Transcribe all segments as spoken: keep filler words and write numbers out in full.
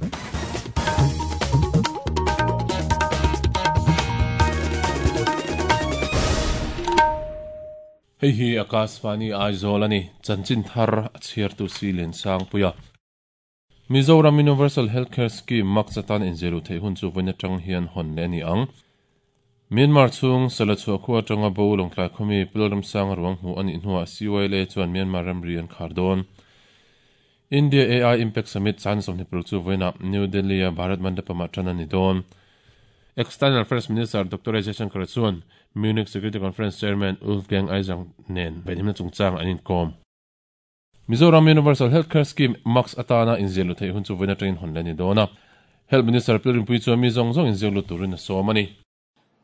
Hei hi Akashvani Aizawl ani chanchin thar a chhiar tu si len sang puia Mizoram Universal Healthcare Scheme maksatan inziru thei hun chu voina tang hian hon le ani ang Myanmar chung salachua khua tanga bo longtlai khomi pilram sang ruang hu ani hnuah C Y L A chuan Myanmar ramri an khar dawn India A I Impact Summit chan somni paruk chu voina New Delhi a Bharat Mandapam ah tan ani dawn External Affairs Minister Doctor Jaishankar chuan Munich Security Conference Chairman Wolfgang Isang nen venhimna chungchang an inkom Mizoram Universal Healthcare Scheme Max atana inzilu thei hun chu voina train hon le ni dawna Health Minister Pilrimpui chuan mi zawng zawng inzilu turin a sawm ani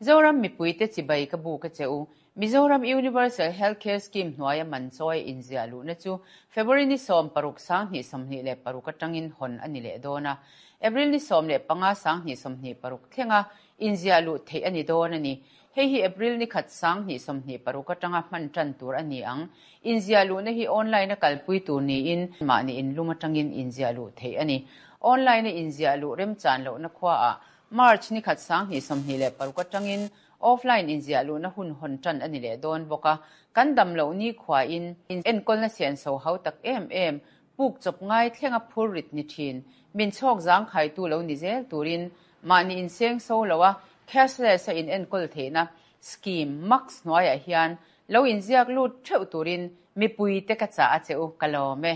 Mizoram mipuite chibai ka bu ka cheu Mizoram Universal Healthcare Scheme hnuaia man chawi inziah na chu February ni sawm paruk sang hnih sawmhnih leh paruk atangin hawn ani leh dawna April ni sawm leh panga sang hnih sawmhnih paruk thlenga inziah luh theih ani dawn ani hei hi April ni khat sang hnih sawmhnih paruk atanga hman tan tur ani ang inziah luh na hi online a kalpui tur niin mahni inlum atangin inziah luh theih ani online a inziah luh remchan lohna khua ah March ni khat sang hnih sawmhnih leh paruk atangin offline inziah luh na hun hawn tan ani leh dawn bawka kan dam lo ni khwa in enkawl na sian so hau tak em em puk chop ngai thlenga phur rit ni thin min chhawk zang khai tu lo ni zel turin mahni in seng so lowa cashless a in enkawl theihna scheme max hnuaiah hian lo inziak lut theuh turin mipui te ka cha a cheu ka lawm e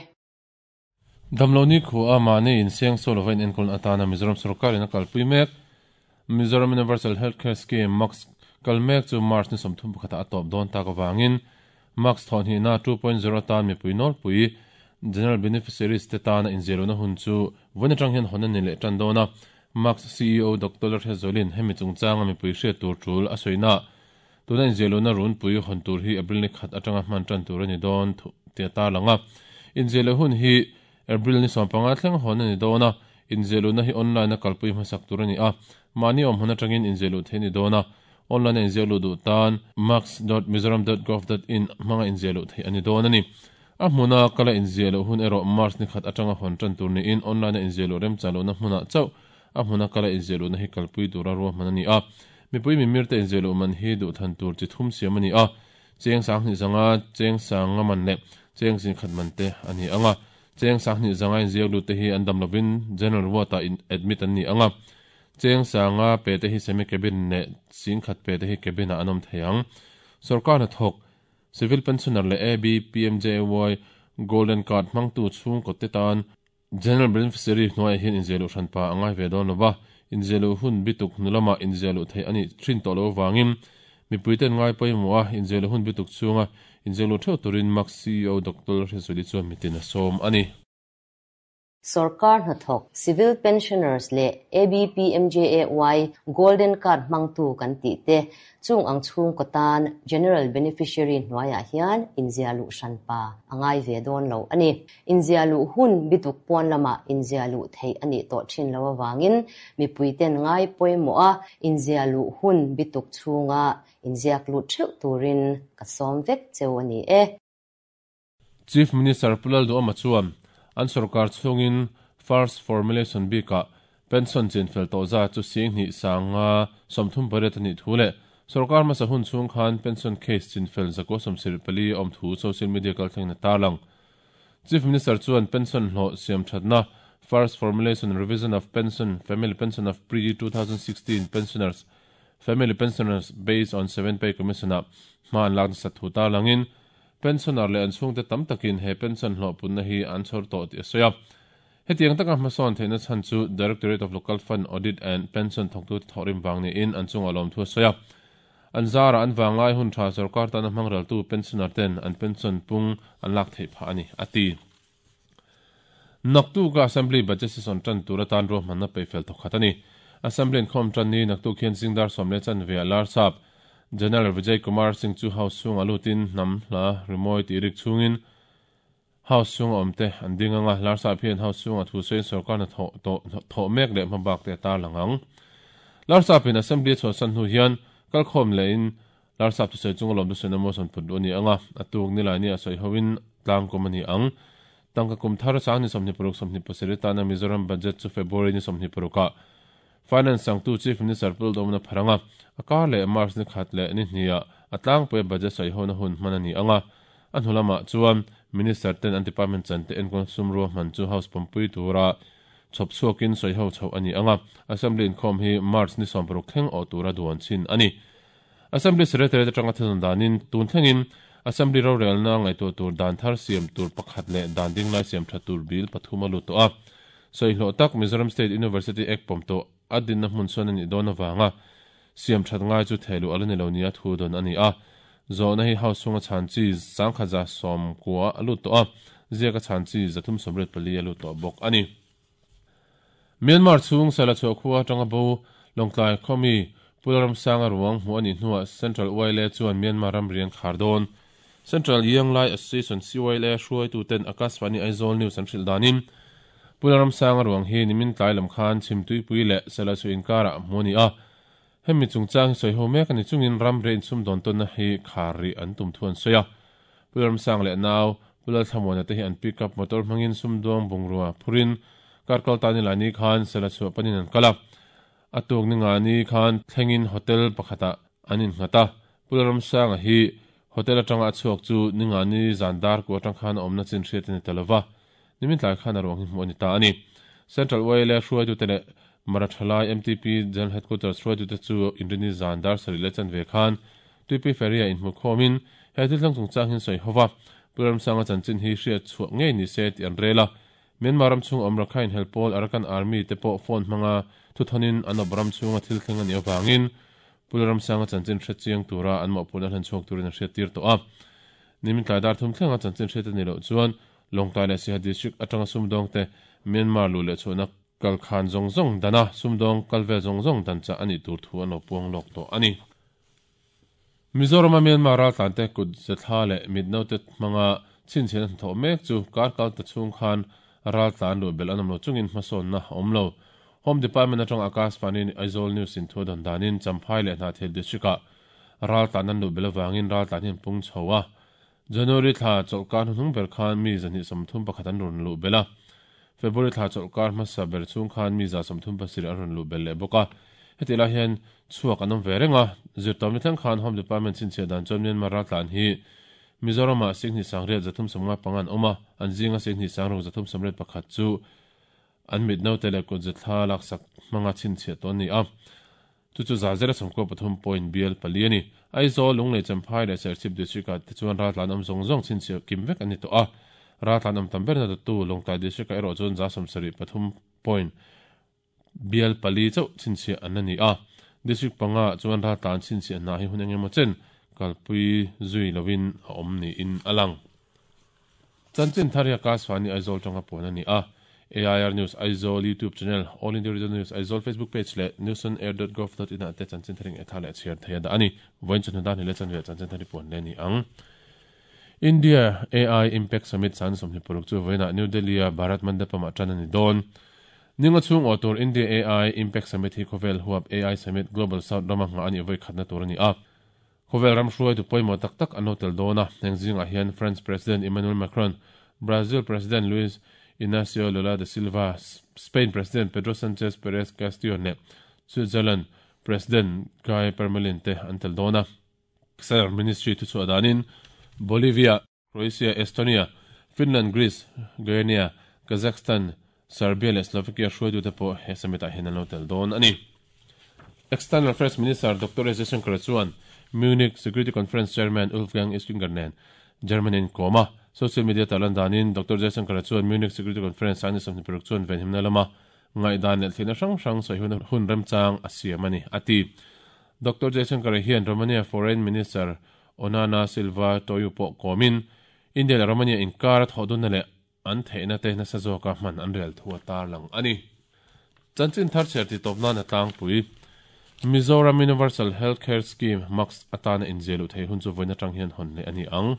Damlo ni khu a mahni in seng so lova in enkawl atana Mizoram sarkar in a kalpui mek Mizoram Universal Healthcare Scheme Max kalmek chu March ni sawmthum pakhata a tawp dawn tak awangin Max thawn hi na two point zero tan mipui nawl pui General Beneficiaries te tana inziru na hun chu voina tang hian hawn ani leh tan dawna Max C E O Doctor Lalhriatzawlin hemi chungchanga mipui hriat tur tul a sawina tuna inziru na run pui hawn tur hi April ni khat atanga hman tan tur ani dawn tia tar langa inziru hun hi April ni sawm panga thleng hawn ani dawna inziru na hi online a kalpui hmasak tur ani a mahni awm hawn atangin inziru thei ni dawna online inziru duh tan max dot mizoram dot gov dot in hmanga inziru thei ani dawn ani a hmuna kala inziru hun erawh March ni khat atanga hawn tan tur niin online inziru remchan lohna hmuna chauh a hmuna kala inziru na hi kalpui tura ruahman ani a mipui mimir te inziru man hi duh than tur chi thum siam ani a cheng sang hnih zanga cheng sanga man leh cheng zin khat man te ani anga cheng sang hnih zanga inziru te hi an dam lovin general ward ah in admit an ni anga cheng sanga pe te hi semi cabin ne sing khat pe te hi cabin a anom theiang sarkar na thok civil pensioner le A B P M J A Y golden card mangtu chung ko te tan general beneficiary hnuai hian inziru hran pa angai ve dawn lova inziru hun bituk nulama inziru thei ani thin to lo wangin mipuiten ngai pawimawh a inziru hun bituk chunga inziru theuh turin Max C E O Doctor Lalhriatzawli chuan mitin a sawm ani Sarkar hnathawk civil pensioners le A B P M J A Y golden card mangtu kan ti te chung ang chung ko tan general beneficiary hnuaiah hian inziah luh hran pa angai ve dawn lo ani inziah luh hun bituk pawn lama inziah luh theih ani tawh thin lo awangin mipuiten ngai pawimawh a inziah luh hun bituk chunga inziak luh theuh turin ka sawm vek cheu ani e Chief Minister Pulal Duhoma chuan an sarkar chungin first formulation bika pension chinfel to za chu sing ni sanga somthum pariat ani thule sarkar ma sahun chung khan pension case chinfel zako somsir pali om thu social media kal thleng na tarlang Chief Minister chuan pension hlo siam thatna first formulation and revision of pension family pension of pre two thousand sixteen pensioners family pensioners based on seven pay commission a man lak sa thu tarlangin pensioner le an chhung te tam takin he pension hlo punna hi an chhor to ti soya hetiang taka hmasawn theihna chhan chu Directorate of Local Fund Audit and Pension thawktu thawrim wang ni in an chunga lawm thu soya an zara an wanglai hun tha sarkar tana hmangral tu pensioner ten an pension pung an lak thei pha ani ati naktu ka assembly budget session tan tura tan ro manna peifel thokhat ani assembly in khom tan ni naktu khian singdar somle chan ve alar sap General Vijay Kumar Singh chu house chung alutin nam hla rimoi ti rik chungin house chung awmte an ding anga larsa phian house chung a thu sein sarkar na tho to tho mek le hmabak te tar langang larsa pin assembly chu san hu hian kalkhom le in larsa tu sei chung lom tu sen mo son phut ani anga atuk ni lai ni a soi hoin tlang kom ani ang Tangka kum thar sang ni sawmhnih paruk sawmhnih pasarih tana Mizoram budget chu February ni sawmhnih parukah Finance sangtu Chief Minister Pu Lalduhoma pharanga a kar leh March ni khat leh ni hniah a tlangpui budget sawi hona hun hman a ni anga a hnu lamah chuan Minister ten an department chan te enkawl sumrua hman chu House pampui tura chhawp chhuakin sawi ho chhoh a ni anga Assembly inkhawm hi March ni sawm paruk thleng awh tura duan chin a ni. Assembly Secretary atanga thilhun danin tun thlengin Assembly rorelna ngaihtuah tur dan thar siam tur pakhat leh dan dinglai siam tha tur bil pathum a lut tawh a. Sawi hlawh tak Mizoram State University Act pawm tawh a dinna hmun chuan a nih dawn avanga siam that ngai chu theiluh ala ni lo nia thu dawn a ni a. Zawhna hi House chhunga chhan chi sangkhat za sawm kua a lut tawh a, ziaka chhan chi zathum sawmriat pali a lut tawh bawk a ni. Myanmar chhung Sela chhuah khua atanga bo Lawngtlai khawmi Pu Lalramsanga ruang hmuh a nih hnuah Central Y L A chuan Myanmar ram rian khar dawn. Central Yanglai Association C Y L A hruaituten Akashvani Aizawl News an hrilh danin Pu Lalramsanga ruang hi nimin tlai lam khan chhimtuipui leh Sela chu inkarah hmuh a ni a. Hemi chungchang hi sawi ho mek a ni chungin ram riah insum dawn tawnna hi khar rih an tum thu an sawi a. Pu Lalramsanga leh nau Pu Lalthlamuana te hi an pickup motor hmangin sumdawng bungrua phurin karkal ta ni lai ni khan Sela chhuah panin an kal a. A tuk ni nga ni khan thlengin hotel pakhatah an innghat a. Pu Lalramsanga hi hotel atanga a chhuak chu ni nga ni zan dar ku atang khan a awmna chin hriat a ni ta lova. Nimin tlai khan a ruang hi hmuh a ni ta a ni. Central Y L A hruaitute leh Marathalai M T P General Headquarters hruaitute chu inrini zan dar sarih leh chanve khan Tuipui Ferry ah inhmu khawmin he thil thleng chungchang hi an sawi hova. Pu Lalramsanga chanchin hi hriat chhuah ngei ni se tih an rel a. Myanmar ram chhung awm Rakhine helpawl Arakan Army te pawh phone hmanga thuthanin an awp ram chhunga thil thleng a nih avangin Pu Lalramsanga chanchin hre chiang tura an mawhphurhna hlan chhuak turin an hriat tir tawh a. Nimin tlai dar thum thlenga chanchin hriat a ni loh chuan Lawngtlai leh Siaha District atanga sumdawng te Myanmar luh leh chhuahna kal khan zawng zawng dana sumdawng kal vel zawng zawng dan chah a nih tur thu an lo puang lawk tawh a ni. Mizoram a Myanmar raltlan te kut zethla leh mitnote hmanga chhinchhian an thawh mek chu kar kal ta chhung khan raltlan luh belh an awm lo chungin hmasawnna a awm lo. Home Department atang Akashvani Aizawl News in thu dawn danin Champhai leh Hnahthial District ah raltlan an luh belh avangin raltlan hi an pung chho a. January thla chawlhkar hnuhnung ber khan mi zahnih sawmthum pakhat an rawn luh belh a. February thla chawlhkar hmasa ber chhung khan mi za sawmthum pasarih an rawn luh belh leh bawk a. Heti lai hian chhuak an awm ve reng a. Zirtawmni thleng khan Home Department chhinchhiah dan chuan Myanmar raltlan hi Mizoram ah Singhnih sangriat zathum sawmnga panga an awm a, an zinga Singhnih sangruk zathum sawmriat pakhat chu an mitnote leh kut zethla laksak hmanga chhinchhiah tawh an ni a. Chu chu za zela sawmkua pathum point bial pali a ni. Aizawl, Lunglei, Champhai leh Serchhip District ah te chuan raltlan awm zawng zawng chhinchhiah kim vek an ni tawh a. Raltlan awm tam berna dawttu Lawngtlai District ah erawh chuan za sawmsarih pathum point bial pali chauh chhinchhiah an la ni a. District panga chuan raltlan chhinchhiah hna hi hun engemaw chen kalpui zui lovin a awm niin a lang. Chanchin thar hi Akashvani Aizawl tanga puan a ni a. A I R News Aizawl YouTube channel, All India Radio News Aizawl Facebook page leh newsonair dot gov dot in ah te chanchin tharing e tha leh chhiar thei a dah a ni. Vawiin chawhnu dan hi leh chanve chanchin thar hi puan leh a ni ang. India A I Impact Summit san sawmhnih paruk chu vawiinah New Delhi a Bharat Mandapam ah tan a ni dawn. Ninga chhung awh tur India A I Impact Summit hi khawvel huap A I Summit Global South rama nghah a nih vawi khatna tur a ni a. Khawvel ram hruaitu pawimawh tak tak an lo tel dawn a. Heng zingah hian France President Emmanuel Macron, Brazil President Luiz Inacio Lula da Silva, Spain President Pedro Sanchez Perez Castillo leh Switzerland President Guy Parmelin te an tel dawn a. External Ministry thuchhuah danin Bolivia, Croatia, Estonia, Finland, Greece, Guinea, Kazakhstan, Serbia leh Slovakia hruaitute pawh he summit ah hian an lo tel dawn a ni. External Affairs Minister Doctor S Jaishankar chuan Munich Security Conference Chairman Wolfgang Ischinger nen Germany in kawm a. Social media tarlan danin Doctor Jaishankar chuan Munich Security Conference a ni sawmhnih paruk chuan venhimna lama ngaihdan leh thlihna hrang hrang sawi hun hun remchang a siam a ni a ti. Doctor Jaishankar hian Romania Foreign Minister Ioana Silva Toiu pawh kawmin India leh Romania inkar a thawh dunna leh an theihna te nasa zawka hman an rel thu a tarlang a ni. Chanchin thar chhiar ti tawp nan a tlangpui. Mizoram Universal Healthcare Scheme MUHCS atana inziah luh thei hun chu vawiin atang hian hawn leh a ni ang.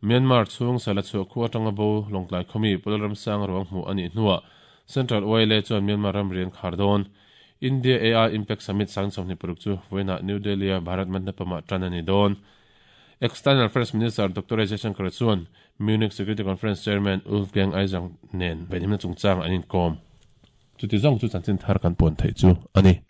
Myanmar chhung Sela chhuah khu atanga bo Lawngtlai khawmi Pu Lalramsanga ruang hmuh a nih hnuah Central Y L A chuan Myanmar ram rian khar dawn. India A I Impact Summit sang sawmhnih paruk chu vawiinah New Delhi a Bharat Mandapam ah tan a ni dawn. External Affairs Minister Doctor S. Jaishankar chuan Munich Security Conference Chairman Wolfgang Ising nen venhimna chungchang an inkawm. Chuti zawng chu chanchin thar kan puan theih chu a ni.